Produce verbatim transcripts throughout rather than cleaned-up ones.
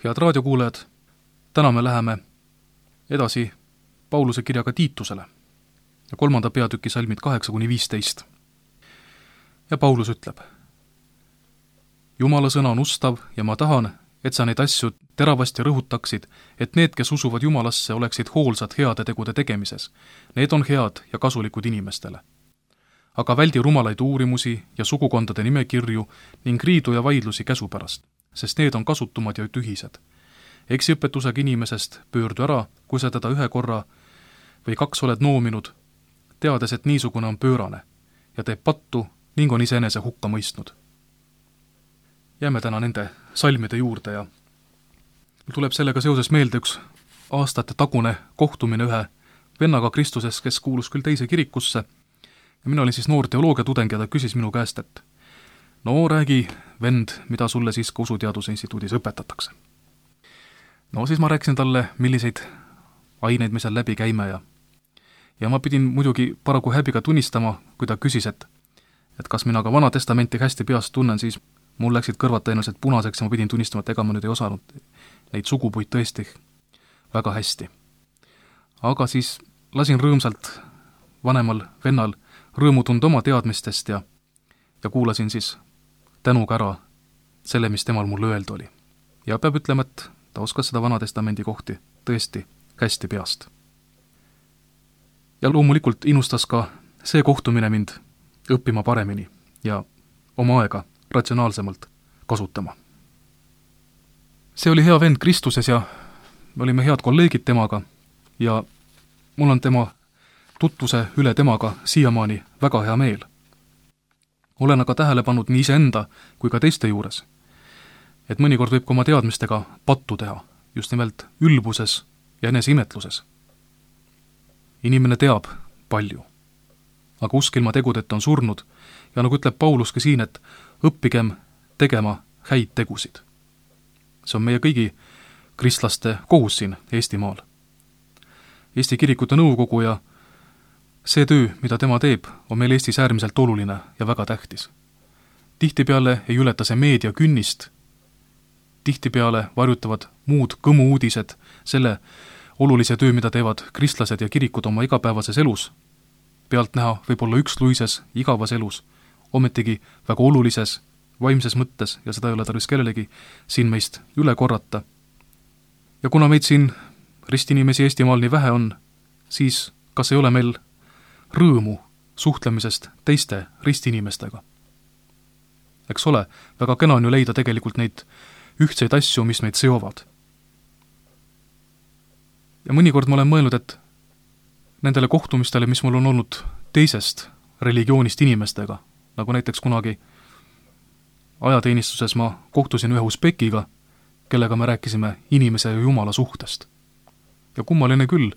Head raadiokuulajad, täna me läheme edasi Pauluse kirjaga Tiitusele ja kolmanda peatüki salmid kaheksa kuni viisteist. Ja Paulus ütleb: Jumala sõna on ustav ja ma tahan, et sa neid asju teravasti rõhutaksid, et need, kes usuvad Jumalasse, oleksid hoolsad heade tegude tegemises. Need on head ja kasulikud inimestele. Aga väldi rumalaid uurimusi ja sugukondade nimekirju ning riidu ja vaidlusi käsu pärast, sest need on kasutumad ja tühised. Eksiõpetusega inimesest pöördu ära, kui sa teda ühe korra või kaks oled noominud, teades, et niisugune on pöörane ja teeb pattu ning on iseenese hukka mõistnud. Jääme täna nende salmide juurde ja tuleb sellega seoses meelde üks aastate tagune kohtumine ühe vennaga Kristuses, kes kuulus küll teise kirikusse. Ja mina olin siis noor teoloogiatudeng ja ta küsis minu käest, et no räägi, vend, mida sulle siis ka Usuteaduse Instituudis õpetatakse. No siis ma rääkisin talle, milliseid aineid me seal läbi käime ja ja ma pidin muidugi paraku häbiga tunnistama, kui ta küsis, et et kas mina ka Vana Testamenti hästi peast tunnen, siis mul läksid kõrvad tõenäoliselt punaseks ja ma pidin tunnistama, et ega ma nüüd ei osanud neid sugupuid tõesti väga hästi. Aga siis lasin rõõmsalt vanemal vennal rõõmu tunda oma teadmistest ja, ja kuulasin siis tänuga ära selle, mis temal mulle öeldu oli. Ja peab ütlema, et ta oskas seda Vana Testamendi kohti tõesti hästi peast. Ja loomulikult innustas ka see kohtumine mind õppima paremini ja oma aega ratsionaalsemalt kasutama. See oli hea vend Kristuses ja me olime head kolleegid temaga ja mul on tema tutvuse üle temaga siiamaani väga hea meel. Olen aga tähele pannud nii iseenda kui ka teiste juures, et mõnikord võib ka oma teadmistega pattu teha, just nimelt ülbuses ja eneseimetluses. Inimene teab palju, aga usk ilma tegudeta on surnud ja nagu ütleb Pauluski siin, et õppigem tegema häid tegusid. See on meie kõigi kristlaste kohus siin Eestimaal. Eesti kirikute nõukogu ja see töö, mida tema teeb, on meil Eestis äärmiselt oluline ja väga tähtis. Tihtipeale ei ületa see meedia künnist, tihtipeale varjutavad muud kõmu uudised selle olulise töö, mida teevad kristlased ja kirikud oma igapäevases elus. Pealt näha võib olla üksluises, igavas elus, ometigi väga olulises, vaimses mõttes ja seda ei ole tarvis kellelegi siin meist üle korrata. Ja kuna meid siin ristinimesi Eestimaal nii vähe on, siis kas ei ole meil rõõmu suhtlemisest teiste ristinimestega? Eks ole, väga kena on ju leida tegelikult neid ühtseid asju, mis meid seovad. Ja mõnikord ma olen mõelnud, et nendele kohtumistele, mis mul on olnud teisest religioonist inimestega, nagu näiteks kunagi ajateenistuses ma kohtusin ühe usbekiga, kellega me rääkisime inimese ja Jumala suhtest. Ja kummaline küll,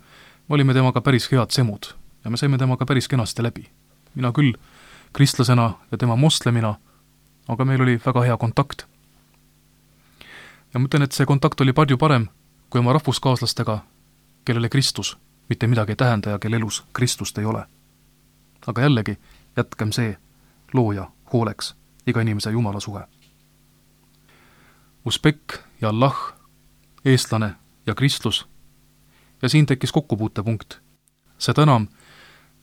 me olime temaga päris head semud ja me saime temaga päris kenasti läbi. Mina küll kristlasena ja tema moslemina, aga meil oli väga hea kontakt. Ja ma ütlen, et see kontakt oli palju parem kui oma rahvuskaaslastega, kellele Kristus mitte midagi ei tähenda ja kelle elus Kristust ei ole. Aga jällegi, jätkem see looja hooleks, iga inimese Jumala suhe. Usbek ja Allah, eestlane ja Kristus. Ja siin tekkis kokkupuutepunkt. Seda enam,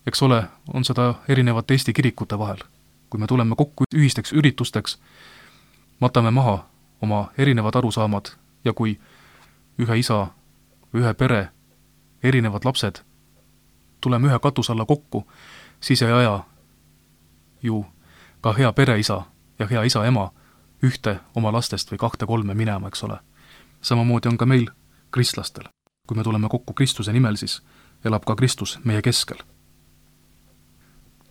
eks ole, on seda erinevate Eesti kirikute vahel. Kui me tuleme kokku ühisteks üritusteks, matame maha oma erinevad arusaamad ja kui ühe isa, ühe pere, erinevad lapsed, tuleme ühe katus alla kokku, siis ei aja ju ka hea pereisa ja hea isa-ema ühte oma lastest või kahte-kolme minema, eks ole. Samamoodi on ka meil kristlastel. Kui me tuleme kokku Kristuse nimel, siis elab ka Kristus meie keskel.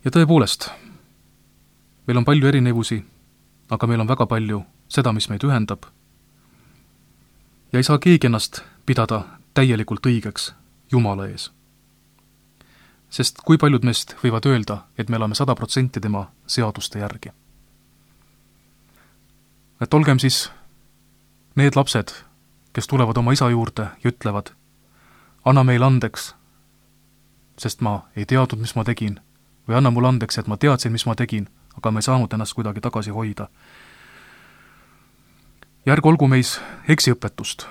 Ja tõepoolest, meil on palju erinevusi, aga meil on väga palju seda, mis meid ühendab. Ja ei saa keegi ennast pidada täielikult õigeks Jumala ees. Sest kui paljud meist võivad öelda, et me oleme sada protsenti tema seaduste järgi. Et olgem siis need lapsed, kes tulevad oma isa juurde ja ütlevad, anna meil andeks, sest ma ei teadnud, mis ma tegin, või anna mul andeks, et ma teadsin, mis ma tegin, aga ma ei saanud ennast kuidagi tagasi hoida. ja ärgu olgu meis eksiõpetust,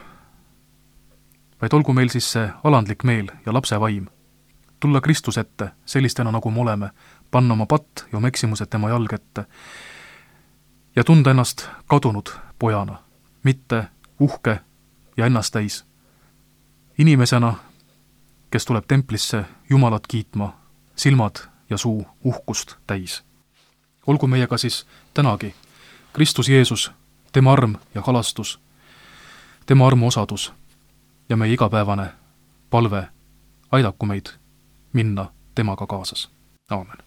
vaid olgu meil siis see alandlik meel ja lapse vaim. Tulla Kristus ette sellistena, nagu me oleme, panna oma patt ja oma eksimused tema jalg ette ja tunda ennast kadunud pojana, mitte uhke ja ennast täis. Inimesena, kes tuleb templisse Jumalat kiitma, silmad ja suu uhkust täis. Olgu meiega siis tänagi Kristus Jeesus, tema arm ja halastus, tema armu osadus ja meie igapäevane palve aidaku meid minna temaga kaasas. Aamen.